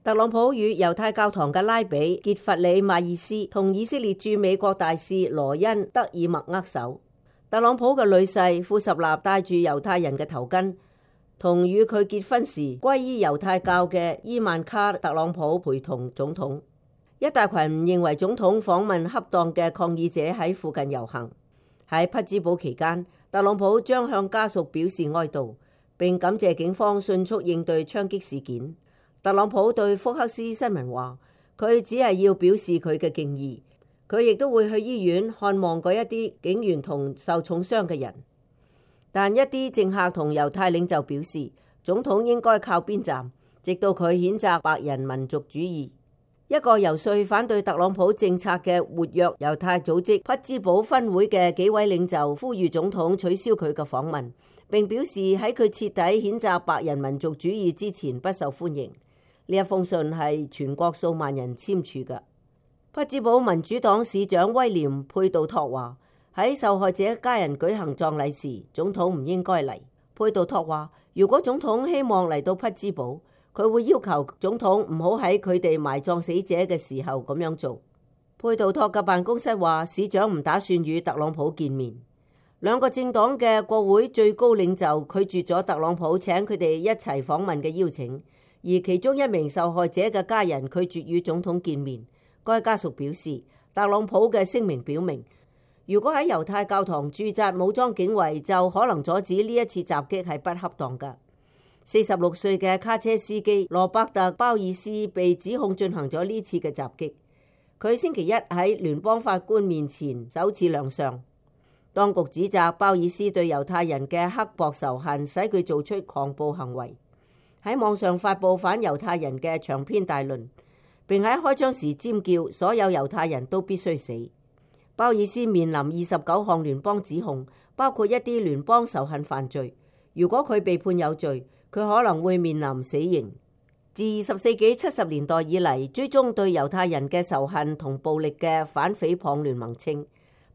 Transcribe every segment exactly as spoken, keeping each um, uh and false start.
特朗普與猶太教堂嘅拉比傑弗里馬爾斯同以色列駐美國大使羅恩德爾默握手。特朗普嘅女婿庫什納戴住猶太人嘅頭巾，同與佢結婚時皈依猶太教嘅伊萬卡特朗普陪同總統。一大群唔認為總統訪問恰當嘅抗議者喺附近遊行。喺匹茲堡期間，特朗普將向家屬表示哀悼，並感謝警方迅速應對槍擊事件。特朗普對福克斯新聞話，佢只係要表示佢嘅敬意，佢亦都會去醫院看望嗰一啲警員同受重傷嘅人。但一啲政客同猶太領袖表示，總統應該靠邊站，直到佢譴責白人民族主義。一個遊說反對特朗普政策嘅活躍猶太組織匹茲堡分會嘅幾位領袖呼籲總統取消佢嘅訪問，並表示喺佢徹底譴責白人民族主義之前不受歡迎。呢一封信係全國數萬人簽署嘅。匹茲堡民主黨市長威廉佩杜托話，喺受害者家人舉行葬禮時，總統唔應該嚟。佩杜托話，如果總統希望嚟到匹茲堡，佢會要求總統唔好喺佢哋埋葬死者嘅時候咁樣做。佩杜托嘅辦公室話，市長唔打算與特朗普見面。兩個政黨嘅國會最高領袖拒絕咗特朗普請佢哋一齊訪問嘅邀請。而其中一名受害者嘅家人拒絕與總統見面。該家屬表示，特朗普嘅聲明表明，如果喺猶太教堂駐紮武裝警衛，就可能阻止呢一次襲擊係不恰當㗎。四十六歲嘅卡車司機羅伯特鮑爾斯被指控進行咗呢次嘅襲擊。佢星期一喺聯邦法官面前首次亮相。當局指責鮑爾斯對猶太人嘅刻薄仇恨，使佢做出狂暴行為。喺網上發佈反猶太人嘅長篇大論，並喺開槍時尖叫，所有猶太人都必須死。鮑爾斯面臨二十九項聯邦指控，包括一啲聯邦仇恨犯罪。如果佢被判有罪，佢可能會面臨死刑。自二十世紀七十年代以嚟，追蹤對猶太人嘅仇恨同暴力嘅反誹謗聯盟稱，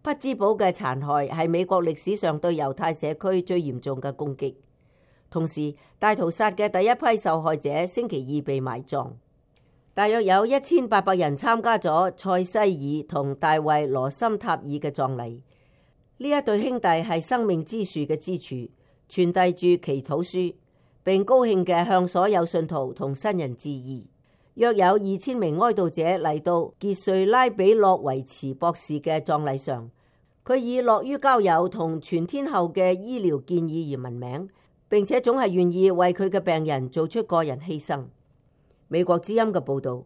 匹茲堡嘅殘害係美國歷史上對猶太社區最嚴重嘅攻擊。同時，大屠殺嘅第一批受害者星期二被埋葬。大約有一千八百人參加咗塞西爾同大衛羅森塔爾嘅葬禮。呢一對兄弟係生命之樹嘅支柱，傳遞住祈禱書，並高興嘅向所有信徒同新人致意。約有二千名哀悼者嚟到傑瑞拉比洛維茨博士嘅葬禮上，佢以樂於交友同全天候嘅醫療建議而聞名。並且總係願意為佢嘅病人做出個人犧牲。美國之音嘅報導。